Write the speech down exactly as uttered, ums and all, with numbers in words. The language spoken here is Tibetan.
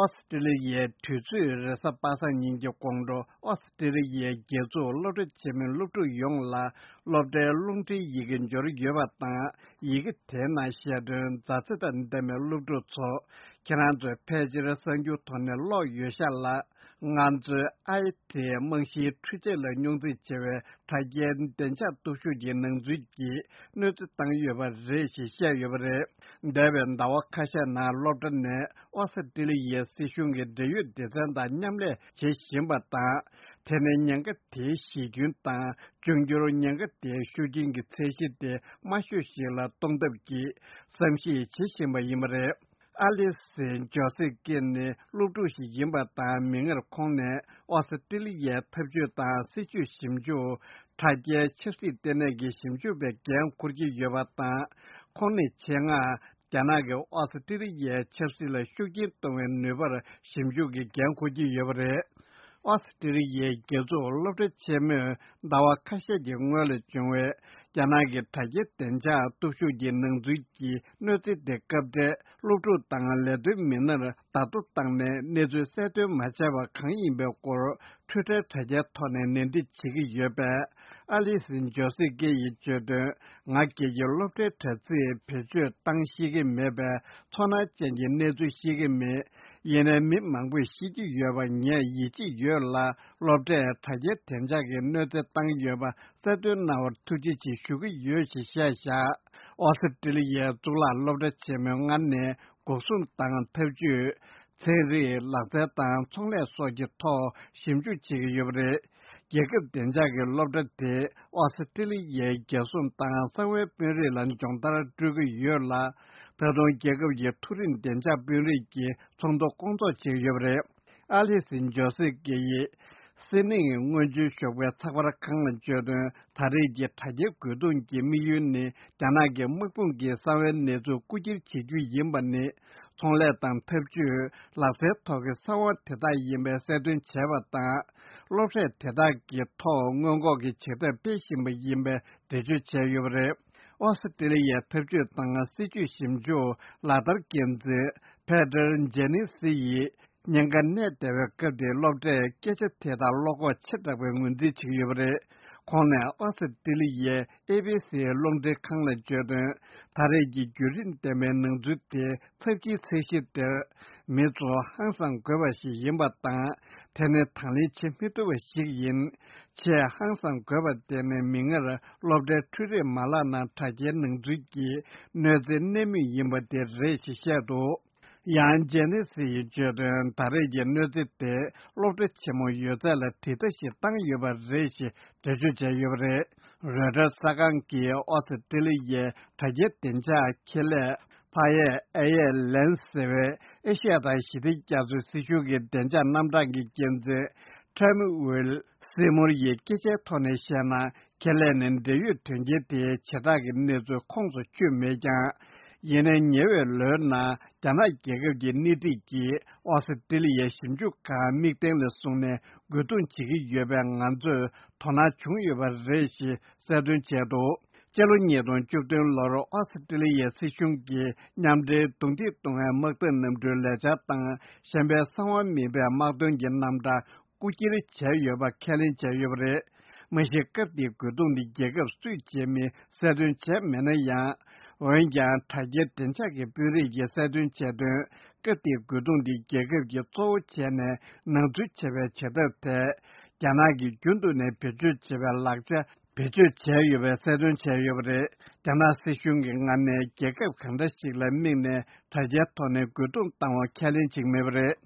ཨོ་སི་ཀྲི་ལི་ཡའི་དུས་ཚོད་རེས་གཟའ་པ་སངས་ཉིན་གྱི་དགོང་དྲོ། ཨོ་སི་ཀྲི་ལི་ཡའི་རྒྱལ་ཚུགས་སློབ་གྲྭ་ཆེན་མོའི་སློབ་ཕྲུག་ཡོངས་ལ་སློབ་གྲྭའི་རླུང་འཕྲིན་ཡི་གེ་འབྱོར་ཡོད་པ་དང་། ཡི་གེ་དེའི་ནང་བཤད་དོན་མཛའ་བརྩེ་དང་ལྡན་པའི་སློབ་ཕྲུག་ཚོ། ཁྱེད་རང་ཚོས་ཕལ་ཆེར་གསར་འགྱུར་ཐོག་ནས་ཀློག་ཡོད་ཤག་ལ། ང་ཚོའི་ཨའི་ཊི་རྨང་གཞིའི་འཕྲུལ་ཆས་ལ་སྙོག་འཛིང་ཆེ་བའི་དྲ་རྒྱའི་བདེ་འཇགས་སྟོབས་ཤུགས་ཀྱི་ནང་འཛུལ་གྱིས་གནོད་འཚེ་བཏང་ཡོད་པ་རེད་ཞེས་བཤད་ཡོད་པ་རེད། འདས་པའི་ཟླ་བ་ཁ་ཤས་ནང་སློབ་གྲྭ་ནས་ཨོ་སི་ཀྲི་ལི་ཡའི་སྲིད་གཞུང་གི་འབྲེལ་ཡོད་སྡེ་ཚན་དང་མཉམ་ལས་བྱེད་བཞིན་པ་དང་། དེ་ནི་ཉེན་ཁ་དེའི་གཞི་རྒྱུན་དང་། འབྱུང་འགྱུར་ཉེན་ཁ་དེའི་ཤུགས་རྐྱེན་གྱི་ཚད་གཞི་དེ་དམའ་ཤོས་ཤིག་ལ་གཏོང་ཐབས་ཀྱི་བསམ་གཞིག་བྱེད་བཞིན་པ་ཡིན་པ་རེད། ཨ་ལི་སི་ཇོ་སི་ཀེ་ནི་སློབ་ཕྲུག་ཞིག་ཡིན་པ་དང་། མིག་སྔར་ཁོང་ནས་ཨོ་སི་ཀྲི་ལི་ཡའི་འཐབ་ཇུས་དང་སྲིད་ཇུས་ཞིབ་འཇུག་དྲ་རྒྱའི་ཆབ་སྲིད་ལྟེ་གནས་ཀྱི་ཞིབ་འཇུག་པའི་འགན་འཁུར་གྱི་ཡོད་པ་དང་། ཁོང་ནས་ཆེད་མངགས་རྒྱ་ནག་གིས་ཨོ་སི་ཀྲི་ལི་ཡའི་ཆབ་སྲིད་ལ་ཤུགས་རྐྱེན་གཏོང་བའི་ནུས་པར་ཞིབ་འཇུག་གི་འགན་འཁུར་གྱི་ཡོད་པ་རེད། ཨོ་སི་ཀྲི་ལི་ཡའི་རྒྱལ་ཚུགས་སློབ་གྲྭ་ཆེན་མོས་ཟླ་བ་ཁ་ཤས་ཀྱི་སྔོན་ལ་བྱུང་བའི་རྒྱ་ནག་གི་དྲ་རྒྱའི་བདེ་འཇགས་སྟོབས་ཤུགས་ཀྱི་ནང་འཛུལ་གྱི་གནོད་འཚེ་དེ་སྐབས་འཕྲལ་སློབ་ཕྲུག་དང་ལས་དོན་མི་སྣར་བརྡ་ཐོ་བཏང་ནས་གནས་ཚུལ་གསལ་སྟོན་མ་བྱས་པ་གང་ཡིན་པའི་སྐོར་ཊུའི་ཊར་དྲ་རྒྱའི་ཐོག་ནས་ནན་ཏན་བྱེད་ཀྱི་ཡོད་པས། ཨ་ལི་སི་ཇོ་སི་ཀེ་ཡིས་བརྗོད་དོན། ང་སྒེར་གྱི་སློབ་གྲྭའི་དྲ་ཚིགས་བེད་སྤྱོད་བཏང་ཤེས་ཀྱི་མེད་པས། ཚོར་སྣང་ཅན་གྱི་གནས་ཚུལ་ཤེས་ཀྱི་མེད། ཡིན་ནའི་མི་མང་པོས་ཤེས་ཀྱི་ཡོད་པ་ངས་ཡིད་ཆེས་ཡོད་ལ། སློབ་གྲྭས་དྲ་རྒྱའི་བདེ་འཇགས་ཀྱི་གནོད་འཚེ་བཏང་ཡོད་པ་གསལ་སྟོན་གནང་བར་ཐུགས་རྗེ་ཆེ་ཞུ་གི་ཡོད་ཅེས་བཤད་བཞག་ཨོ་སི་ཀྲི་ལི་ཡའི་གཙུག་ལག་སློབ་གྲྭ་ཆེན་མོའི་སྔར་ནས་འགོག་སྲུང་དང་འཐབ་ཇུས། ཚན་རིག་ལག་རྩལ་དང་ཚོང་ལས་སོགས་ཀྱི་ཐོག་ཞིབ་འཇུག་བྱེད་ཀྱི་ཡོད་པ་རེད། རྒྱལ་ཁབ་བདེ་འཇགས་ཀྱི་སློབ་གྲྭ་དེས་ཨོ་སི་ཀྲི་ལི་ཡའི་རྒྱལ་སྲུང་དང་གསང་བའི་དཔོན་རིགས་ལ་སྦྱོང་བརྡར་སྤྲོད་ཀྱི་ཡོད་ལ། ད་དུང་རྒྱལ་ཁབ་ཀྱི་མཐོ་རིམ་བདེ་འཇགས་དཔོན་རིགས་ཀྱི་ཚོགས་འདུ་སྐོང་ཚོགས་བྱེད་ཀྱི་ཡོད་པ་རེད། ཨ་ལི་སི་ཇོ་སི་ཀེ་ཡིས་སི་ནིང་སྔོན་བྱོན་ཞོགས་པའི་ཚགས་པར་ཁང་ལ་བརྗོད་དོན། ད་རེས་ཀྱི་དྲ་རྒྱའི་རྒོལ་རྡུང་གི་དམིགས་ཡུལ་ནི་རྒྱ་ནག་གི་དམག་དཔུང་གི་གསང་བའི་གནས་ཚུལ་རྐུ་འཁྱེར་བྱེད་རྒྱུ་ཡིན་པ་ནི། ཚོང་ལས་དང་འཐབ་ཇུས། ལག་རྩལ་ཐོག་གི་གསང་བ་དེ་དག་ཡིན་པའི་གསལ་སྟོན་བྱས་པ་དང་། སློབ་གྲྭས་དེ་དག་གི་ཐོག་སྔོན་འགོག་གི་བྱེད་ཐབས་སྤེལ་བཞིན་པ་ཡིན་པའི་འགྲེལ་བརྗོད་བྱས་ཡོད་པ་རེད། ཨོ་སི་ཀྲི་ལི་ཡའི་འཐབ་ཇུས་དང་སྲིད་ཇུས་ཞིབ་འཇུག་ལག་བསྟར་འགན་འཛིན་ཕེ་ཏར་ཇེ་ནི་སི་ཡིས། ཉེན་ཁ་གནས་བསྡད་པའི་སྐབས་དེའི་སློབ་གྲྭས་སྐད་ཆ་དེ་དག་བློ་ཁོག་ཆེ་དྲགས་པའི་ངོས་འཛིན་བྱེད་ཀྱི་ཡོད་པ་རེད། ཁོང་ནས་ཨོ་སི་ཀྲི་ལི་ཡའི་ཨེ་བྷི་སི་རླུང་འཕྲིན་ཁང་ལ་བརྗོད་དོན། ད་རེས་ཀྱི་བརྒྱུད་རིམ་ལྡན་པའི་ནང་འཛུལ་དེ་ཚབས་ཆེའི་ཚད་གཞི་དེར་མི་ཚོ་ཧང་སང་དགོས་པ་ཞིག་ཡིན་པ་དང་། དེ་ནི་དང་ལེན་བྱེད་མི་ཐུབ་པ་ཞིག་ཡིན། ཆེས་ཧང་སང་དགོས་པ་དེ་ནི་མིག་སྔར་སློབ་གྲྭའི་འཕྲུལ་རིག་མ་ལག་ནང་དྲ་རྒྱའི་ནང་འཛུལ་གྱི་གནོད་འཚེ་གནད་སྨིན་ཡིན་པ་དེ་རེད་ཅེས་བཤད་འདུག་ཡང་ཇེ་ནི་སི་ཡིས་བརྗོད་དོན། ད་རེས་ཀྱི་གནོད་འཚེ་དེ་སློབ་གྲྭ་ཆེན་མོ་ཡོད་ཚད་ལ་དྲིལ་བསྒྲགས་ཤིག་བཏང་ཡོད་པ་རེད་ཅེས་འགྲེལ་བརྗོད་བྱས་ཡོད་པ་རེད། རོའི་ཊར་གསར་ཁང་གིས་ཨོ་སི་ཀྲི་ལི་ཡའི་དྲ་རྒྱའི་བདེ་འཇགས་ཁེ་ལས་ཕ་ཡས་ཨེ་ཡས་ལན་ཟེར་བའི་ཨེ་ཤ་ཡ་དང་ཞི་བདེ་རྒྱ་མཚོའི་སྲིད་གཞུང་གི་བདེ་འཇགས་རྣམ་གྲངས་ཀྱི་འགན་འཛིན་ཁྲེམ་ཝིལ་སི་མུར་ཡིས་སྐད་ཆའི་ཐོག་ནས་བཤད་ན། ཁེ་ལས་ནས་འབྲེལ་ཡོད་དོན་རྐྱེན་དེའི་བྱེ་བྲག་གི་གནས་ཚུལ་ཁོངས་སུ་ཆུད་མེད་ཀྱང་། ཡིན་ནའི་ཉེ་བའི་ལོའི་ནང་རྒྱ་ནག་རྒྱལ་ཁབ་ཀྱི་སྣེ་ཁྲིད་ཀྱིས་ཨོ་སི་ཀྲི་ལི་ཡའི་ཞིབ་འཇུག་ཁང་དམིགས་རྟེན་ལ་བཟུང་ནས་རྒོལ་རྡུང་བྱེད་ཀྱི་ཡོད་པས་ང་ཚོས་དོ་སྣང་བྱུང་ཡོད་པ་རེད་ཞེས་གསལ་སྟོན་བྱས་འདུག་སྤྱི་ལོ་ཉིས་སྟོང་བཅུ་བདུན་ལོར་ཨོ་སི་ཀྲི་ལི་ཡའི་སྲིད་གཞུང་གིས་མཉམ་འབྲེལ་རྡུང་རྡེག་གཏོང་བའི་དམག་འཐབ་གནམ་གྲུའི་ལས་འཆར་དང་། གཞན་པའི་གསང་བ་མིན་པའི་དམག་དོན་གྱི་རྣམ་གྲངས་རྐུ་འཁྱེར་བྱས་ཡོད་པ་ཁས་ལེན་བྱས་ཡོད་པ་རེད། མ་གཞི་སྐབས་དེའི་རྒོལ་རྡུང་འདི་རྒྱལ་ཁབ་སུས་བྱས་མིན་གསལ་སྟོན་བྱས་མེད་ན་ཡང་། འོན་ཀྱང་དྲ་རྒྱའི་བདེ་འཇགས་ཀྱི་དཔོན་རིགས་ཀྱིས་གསལ་སྟོན་བྱས་དོན། སྐབས་དེའི་རྒོལ་རྡུང་འདི་རྒྱལ་ཁབ་ཀྱིས་གཙོ་བོ་བྱས་ནས་ནང་འཛུལ་བྱས་པའི་བྱེད་ཐབས་དེ། རྒྱ་ནག་གིས་རྒྱུན་དུ་ནས་བེད་སྤྱོད་བྱེད་པའི་ལག་ཆ་བེད་སྤྱོད་བྱས་ཡོད་པའི་གསལ་སྟོན་བྱས་ཡོད་པ་རེད། རྒྱ་ནག་སྲིད་གཞུང་གི་ངོས་ནས་རྒྱལ་ཁབ་གང་འདྲ་ཞིག་ལ་དམིགས་ནས་དྲ་རྒྱའི་ཐོག་ནས་རྒོལ་རྡུང་བཏང་བ་ཁས་ལེན་བྱེད་ཀྱི་མེད་པ་རེད།